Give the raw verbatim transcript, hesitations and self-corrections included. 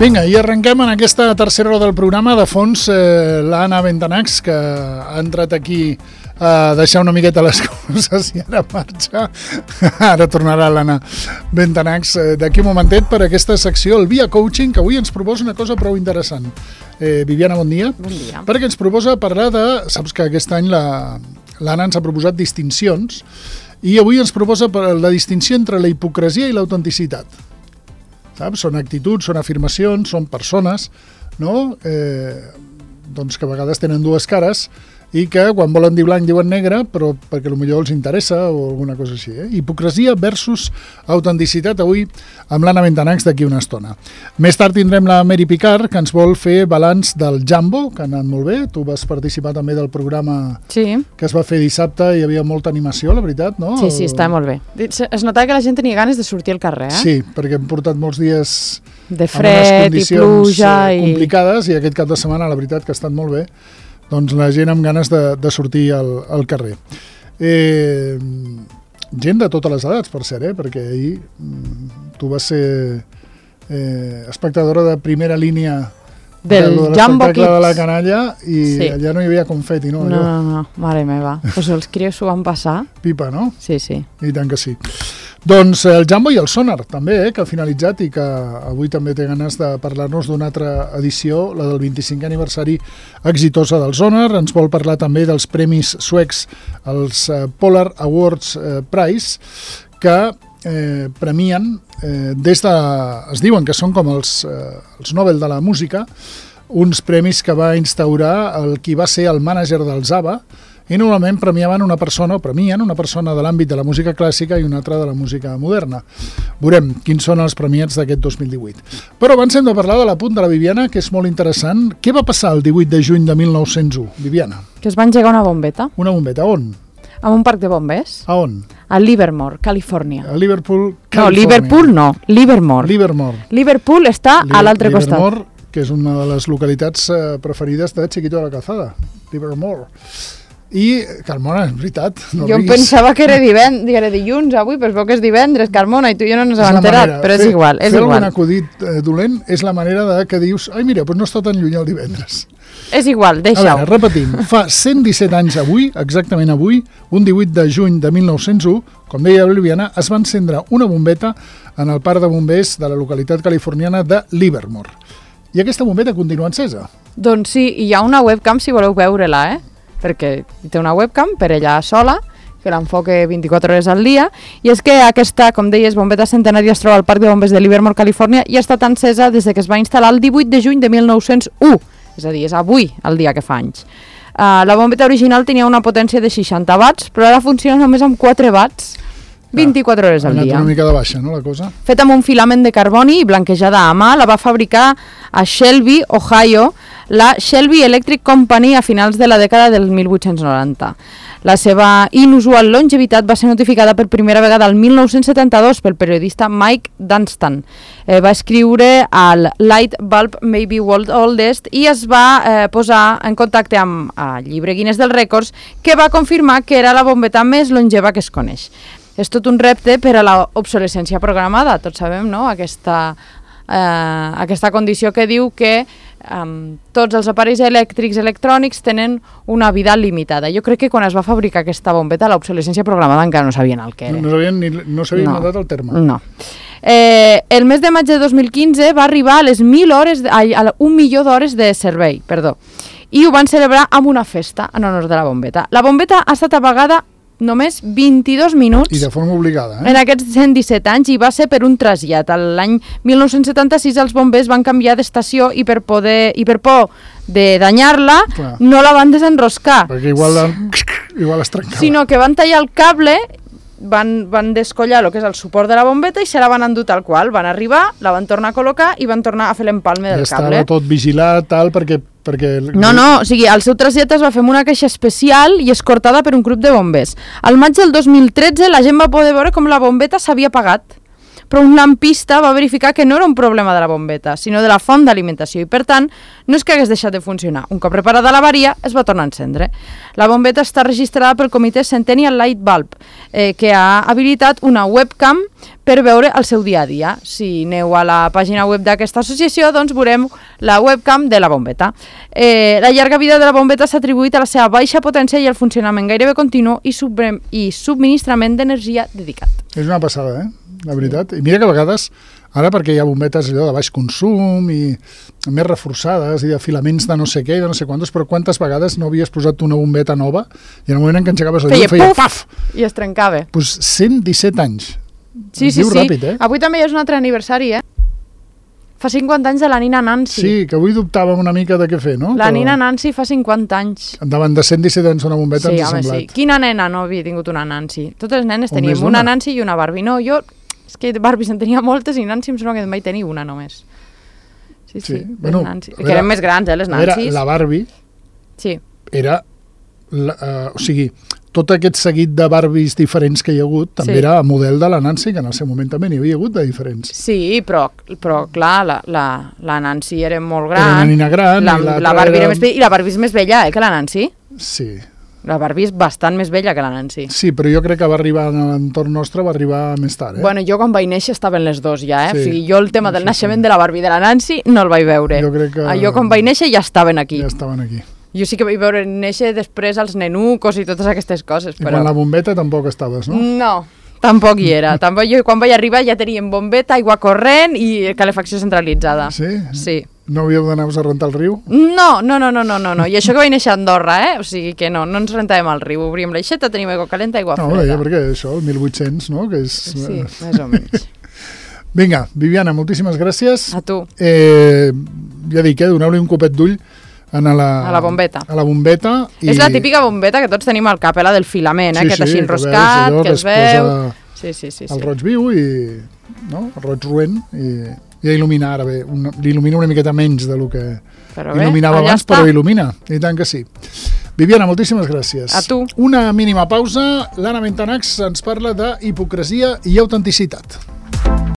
Vinga, i arrenquem en aquesta tercera hora del programa. De fons, eh, l'Anna Bentanax, que ha entrat aquí a deixar una miqueta les coses i ara marxa. Ara tornarà l'Anna Bentanax eh, d'aquí un momentet per aquesta secció, el Via Coaching, que avui ens proposa una cosa prou interessant. Eh, Viviana, bon dia. Bon dia. Perquè ens proposa parlar de... Saps que aquest any la, l'Anna ens ha proposat distincions i avui ens proposa la distinció entre la hipocresia i l'autenticitat. Saps? Són actituds, són afirmacions, són persones, no? Eh, doncs que a vegades tenen dues cares i que quan volen dir blanc diuen negre, però perquè potser els interessa o alguna cosa així. Eh? Hipocresia versus autenticitat, avui amb l'Anna Bentanax d'aquí una estona. Més tard tindrem la Mary Picard, que ens vol fer balanç del Jambo, que ha anat molt bé. Tu vas participar també del programa sí. que es va fer dissabte, hi havia molta animació, la veritat, no? Sí, sí, està molt bé. Es notava que la gent tenia ganes de sortir al carrer, eh? Sí, perquè hem portat molts dies de fred i pluja i complicades i aquest cap de setmana, la veritat, que ha estat molt bé. Doncs la gent amb ganes de, de sortir al, al carrer. Eh, gent de totes les edats, per cert, eh? Perquè ahir tu vas ser eh, espectadora de primera línia del de Jambo Kids de la canalla i sí. allà no hi havia confeti, no? No, no, no, mare meva. Pues els crios s'ho van passar. Pipa, no? Sí, sí. I tant que sí. Doncs el Jambo i el Sonar, també, eh, que ha finalitzat i que avui també té ganes de parlar-nos d'una altra edició, la del vint-i-cinquè aniversari exitosa del Sonar. Ens vol parlar també dels premis suecs, els eh, Polar Awards eh, Prize, que eh, premien, eh, des de... es diuen que són com els, eh, els Nobel de la música, uns premis que va instaurar el qui va ser el mànager dels ABBA, i normalment premiaven una persona, o premien una persona de l'àmbit de la música clàssica i una altra de la música moderna. Veurem quins són els premiats d'aquest dos mil divuit. Però abans hem de parlar de l'apunt de la Viviana, que és molt interessant. Què va passar el divuit de juny de mil nou-cents u, Viviana? Que es va engegar una bombeta. Una bombeta, on? A un parc de bombers. A on? A Livermore, Califòrnia. A Liverpool, Califòrnia. No, Liverpool no, Livermore. Livermore. Liverpool està Li- a l'altre costat. Livermore, que és una de les localitats eh, preferides de Chiquito de la Calzada. Livermore. I, Carmona, és veritat. No jo riguis. pensava que era, divend... era dilluns avui, però es veu que és divendres, Carmona, i tu ja no ens hem enterat, manera. però és fer, igual. És fer igual. algun acudit eh, dolent és la manera de que dius, ai mira, doncs no està tan lluny el divendres. És igual, deixa-ho. A veure, repetim, fa cent disset anys avui, exactament avui, un divuit de juny de mil nou-cents u, com deia la Viviana, es va encendre una bombeta en el parc de bombers de la localitat californiana de Livermore. I aquesta bombeta continua encesa. Doncs sí, i hi ha una webcam si voleu veure-la, eh? Perquè té una webcam per ella sola, que l'enfoca vint-i-quatre hores al dia, i és que aquesta, com deies, bombeta centenària es troba al Parc de Bombers de Livermore, Califòrnia, i ha estat encesa des que es va instal·lar el divuit de juny de mil nou-cents u, és a dir, és avui el dia que fa anys. Uh, la bombeta original tenia una potència de seixanta watts, però ara funciona només amb quatre watts, vint-i-quatre hores al dia. Ha anat una mica de baixa, no, la cosa? Feta amb un filament de carboni i blanquejada a mà, la va fabricar a Shelby, Ohio, la Shelby Electric Company a finals de la dècada del mil vuit-cents noranta. La seva inusual longevitat va ser notificada per primera vegada el mil nou-cents setanta-dos pel periodista Mike Dunstan. Eh, va escriure al Light Bulb May Be World Oldest i es va eh, posar en contacte amb el llibre Guinness dels Rècords, que va confirmar que era la bombeta més longeva que es coneix. És tot un repte per a l'obsolescència programada, tots sabem, no?, aquesta, eh, aquesta condició que diu que um, tots els aparells elèctrics electrònics tenen una vida limitada. Jo crec que quan es va fabricar aquesta bombeta, l'obsolescència programada encara no sabien el que era. No sabien ni no s'havia no. notat el terme. No. Eh, el mes de maig de dos mil quinze va arribar a les mil hores, a, a un milió d'hores de servei, perdó, i ho van celebrar amb una festa en honor de la bombeta. La bombeta ha estat apagada només vint-i-dos minuts I de forma obligada, eh? en aquests cent disset anys, i va ser per un trasllat. L'any mil nou-cents setanta-sis els bombers van canviar d'estació i per poder i per por de danyar-la no la van desenroscar. Perquè igual, la, igual es trencava. Sinó que van tallar el cable, van, van descollar el que és el suport de la bombeta i se la van endur tal qual. Van arribar, la van tornar a col·locar i van tornar a fer l'empalme del ja cable. Estava tot vigilat, tal, perquè... perquè... No, no, o sigui, el seu trasllat es va fer amb una caixa especial i escortada per un grup de bombers. Al maig del dos mil tretze la gent va poder veure com la bombeta s'havia apagat, però un lampista va verificar que no era un problema de la bombeta, sinó de la font d'alimentació i, per tant, no és que hagués deixat de funcionar. Un cop reparada l'avaria, es va tornar a encendre. La bombeta està registrada pel comitè Centennial Light Bulb, eh, que ha habilitat una webcam per veure el seu dia a dia. Si aneu a la pàgina web d'aquesta associació, doncs veurem la webcam de la bombeta. Eh, la llarga vida de la bombeta s'ha atribuït a la seva baixa potència i el funcionament gairebé continu i, sub i subministrament d'energia dedicat. És una passada, eh? La veritat. I mira que a vegades, ara perquè hi ha bombetes allò de baix consum i més reforçades i de filaments de no sé què i de no sé quantos, però quantes vegades no havies posat una bombeta nova i en el moment en què engegaves el llum feia, feia paf! I es trencava. Doncs pues cent disset anys. Sí, sí, sí. Ràpid, eh? Avui també és un altre aniversari, eh? Fa cinquanta anys de la nina Nancy. Sí, que avui dubtàvem una mica de què fer, no? La Però... nina Nancy fa cinquanta anys. Davant de cent disset anys una bombeta sí, ens ha home, semblat. Sí. Quina nena no havia tingut una Nancy? Totes les nenes o teníem una Nancy i una Barbie. No, jo... És que Barbies en tenia moltes i Nancy em sembla que en vaig tenir una només. Sí, sí. sí. Bueno, Nancy. Que eren més grans, eh, les Nancys. La Barbie sí. era... La, uh, o sigui, tot aquest seguit de Barbies diferents que hi ha hagut també sí. era a model de la Nancy, que en el seu moment també n'hi havia hagut de diferents. Sí, però, però clar, la, la, la Nancy era molt gran. Era una nina gran. La, i la Barbie era... era més vella, i la Barbie és més vella, eh, que la Nancy. Sí. La Barbie és bastant més vella que la Nancy. Sí, però jo crec que va arribar a l'entorn nostre, va arribar més tard, eh? Bueno, jo quan vaig néixer estaven les dos ja, eh? Sí. O sigui, jo el tema del sí, naixement sí. de la Barbie i de la Nancy no el vaig veure. Jo crec que... Ah, jo quan vaig néixer ja estaven aquí. Ja estaven aquí. Jo sí que vaig veure néixer després els nenucos i totes aquestes coses, I però... quan la bombeta tampoc estaves, no? No, tampoc hi era. Tampoc jo quan vaig arribar ja teníem bombeta, aigua corrent i calefacció centralitzada. Sí? Sí. No havíeu d'anar-vos a rentar el riu? No, no, no, no, no, no, no. I això que vaig néixer a Andorra, eh? O sigui que no, no ens rentàvem al riu. Obríem l'aixeta, teníem aigua calenta, aigua no, freda. No, perquè això, el mil vuit-cents, no? Que és... Sí, més o menys. Vinga, Viviana, moltíssimes gràcies. A tu. Eh, ja dic, eh, doneu-li un copet d'ull a la, a la bombeta. A la bombeta i... És la típica bombeta que tots tenim al cap, eh, la del filament, eh? Sí, Aquest sí, així enroscat, que, que es veu... Sí, sí, sí, el sí. roig viu i... No? El roig roent i... Ja il·lumina ara bé, l'il·lumina una miqueta menys del que però il·luminava bé, abans, està. Però il·lumina, i tant que sí. Viviana, moltíssimes gràcies. A tu. Una mínima pausa, l'Anna Mentanax ens parla d'hipocresia i autenticitat.